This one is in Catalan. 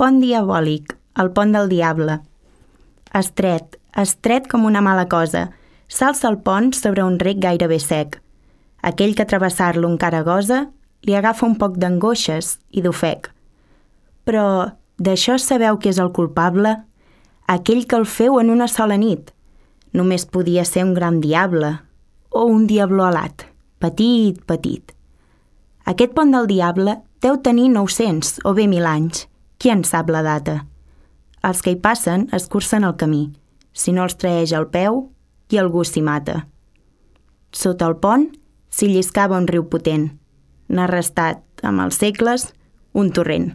pont diabòlic, el pont del diable. Estret com una mala cosa, s'alça el pont sobre un rec gairebé sec. Aquell que travessar-lo encara gosa, li agafa un poc d'angoixes i d'ofec. Però d'això sabeu qui és el culpable? Aquell que el feu en una sola nit. Només podia ser un gran diable, o un diabló alat, petit. Aquest pont del diable deu tenir 900 o bé 1.000 anys. Qui en sap la data? Els que hi passen escurcen el camí. Si no els traeix al peu, i algú s'hi mata. Sota el pont s'hi lliscava un riu potent. N'ha restat, amb els segles, un torrent.